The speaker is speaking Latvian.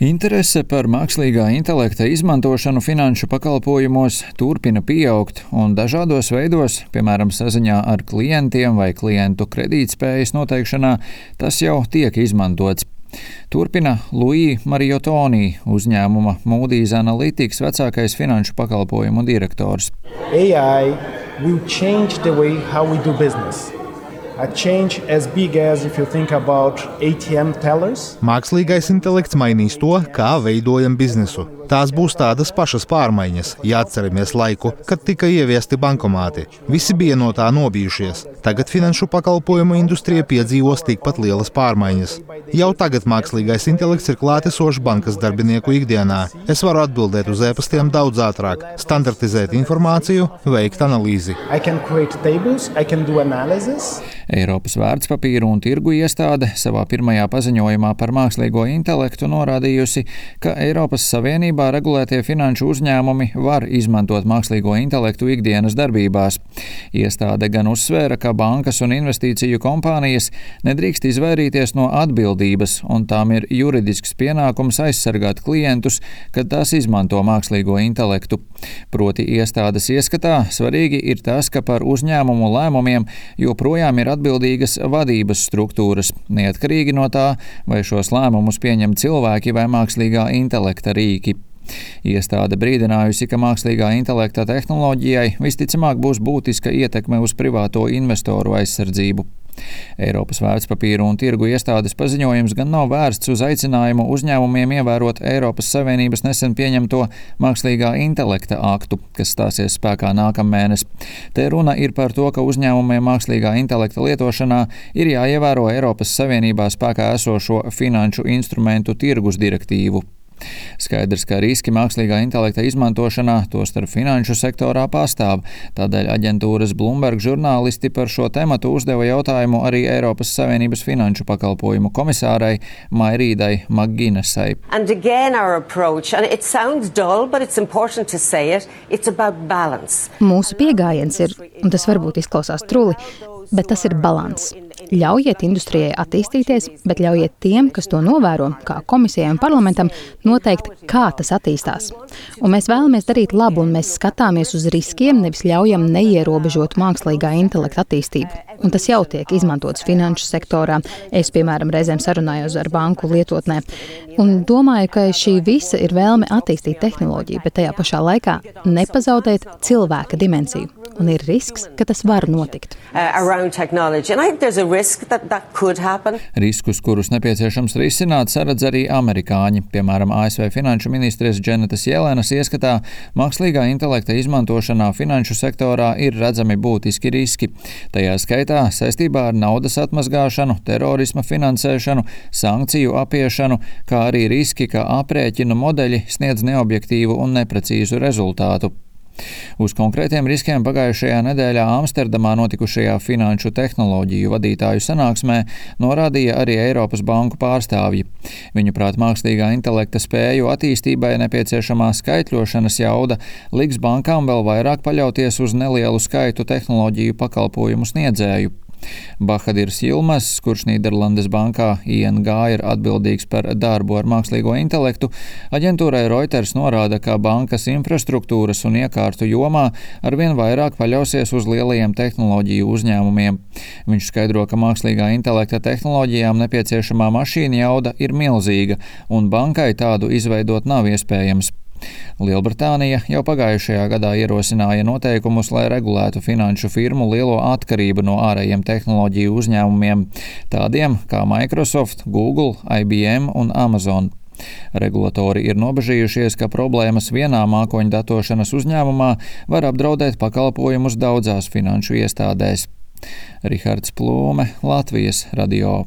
Interese par mākslīgā intelekta izmantošanu finanšu pakalpojumos turpina pieaugt un dažādos veidos, piemēram, saziņā ar klientiem vai klientu kredītspējas noteikšanā, tas jau tiek izmantots. Turpina Luī Mariotoni, uzņēmuma Moody's Analytics vecākais finanšu pakalpojumu direktors. AI will change the way how we do business. A change as big as if you think about ATM tellers. Mākslīgais intelekts mainīs to, kā veidojam biznesu. Tās būs tādas pašas pārmaiņas, ja atceramies laiku, kad tika ieviesti bankomāti. Visi bija no tā nobijušies. Tagad finanšu pakalpojumu industrija piedzīvos tikpat lielas pārmaiņas. Jau tagad mākslīgais intelekts ir klātesošs bankas darbinieku ikdienā. Es varu atbildēt uz e-pastiem daudz ātrāk, standartizēt informāciju, veikt analīzi. Eiropas vērtspapīru un tirgu iestāde savā pirmajā paziņojumā par mākslīgo intelektu norādījusi, ka Eiropas Savienībā regulētie finanšu uzņēmumi var izmantot mākslīgo intelektu ikdienas darbībās. Iestāde gan uzsvēra, ka bankas un investīciju kompānijas nedrīkst izvairīties no atbildības, un tām ir juridisks pienākums aizsargāt klientus, kad tās izmanto mākslīgo intelektu. Proti iestādes ieskatā svarīgi ir tas, ka par uzņēmumu lēmumiem joprojām ir atbildīgas vadības struktūras, neatkarīgi no tā, vai šos lēmumus pieņem cilvēki vai mākslīgā intelekta rīki. Iestāde brīdinājusi, ka mākslīgā intelekta tehnoloģijai visticamāk būs būtiska ietekme uz privāto investoru aizsardzību. Eiropas vērtspapīru un tirgu iestādes paziņojums gan nav vērsts uz aicinājumu uzņēmumiem ievērot Eiropas Savienības nesen pieņemto mākslīgā intelekta aktu, kas stāsies spēkā nākamēnes. Te runa ir par to, ka uzņēmumiem mākslīgā intelekta lietošanā ir jāievēro Eiropas Savienībā spēkā esošo finanšu instrumentu tirgus direktīvu. Skaidrs, ka riski mākslīgā intelekta izmantošanā, tostarp finanšu sektorā, pastāv. Tādēļ aģentūras Bloomberg žurnālisti par šo tematu uzdeva jautājumu arī Eiropas Savienības finanšu pakalpojumu komisārai Mairīdai Maginesai. Mūsu pieejams ir, un tas varbūt izklausās truli, bet tas ir balans. Ļaujiet industrijai attīstīties, bet ļaujiet tiem, kas to novēro, kā komisijai un parlamentam, noteikt, kā tas attīstās. Un mēs vēlamies darīt labu, un mēs skatāmies uz riskiem, nevis ļaujam neierobežot mākslīgā intelekta attīstību. Un tas jau tiek izmantots finanšu sektorā. Es, piemēram, reizēm sarunājos ar banku lietotnē. Un domāju, ka šī visa ir vēlme attīstīt tehnoloģiju, bet tajā pašā laikā nepazaudēt cilvēka dimensiju. Un ir risks, ka tas var notikt. Riskus, kurus nepieciešams risināt, saredz arī amerikāņi. Piemēram, ASV finanšu ministres Dženetas Jelenas ieskatā mākslīgā intelekta izmantošanā finanšu sektorā ir redzami būtiski riski. Tajā skaitā saistībā ar naudas atmazgāšanu, terorisma finansēšanu, sankciju apiešanu, kā arī riski, ka aprēķinu modeļi sniedz neobjektīvu un neprecīzu rezultātu. Uz konkrētiem riskiem pagājušajā nedēļā Amsterdamā notikušajā finanšu tehnoloģiju vadītāju sanāksmē norādīja arī Eiropas banku pārstāvji. Viņuprāt, mākslīgā intelekta spēju attīstībai nepieciešamā skaitļošanas jauda liks bankām vēl vairāk paļauties uz nelielu skaitu tehnoloģiju pakalpojumu sniedzēju. Bahadirs Yilmaz, kurš Nīderlandes bankā ING ir atbildīgs par darbu ar mākslīgo intelektu, aģentūrai Reuters norāda, ka bankas infrastruktūras un iekārtu jomā arvien vairāk paļausies uz lielajiem tehnoloģiju uzņēmumiem. Viņš skaidro, ka mākslīgā intelekta tehnoloģijām nepieciešamā mašīna jauda ir milzīga, un bankai tādu izveidot nav iespējams. Lielbritānija jau pagājušajā gadā ierosināja noteikumus, lai regulētu finanšu firmu lielo atkarību no ārējiem tehnoloģiju uzņēmumiem, tādiem kā Microsoft, Google, IBM un Amazon. Regulatori ir nobežījušies, ka problēmas vienā mākoņu datošanas uzņēmumā var apdraudēt pakalpojumus daudzās finanšu iestādēs. Rihards Plūme, Latvijas radio.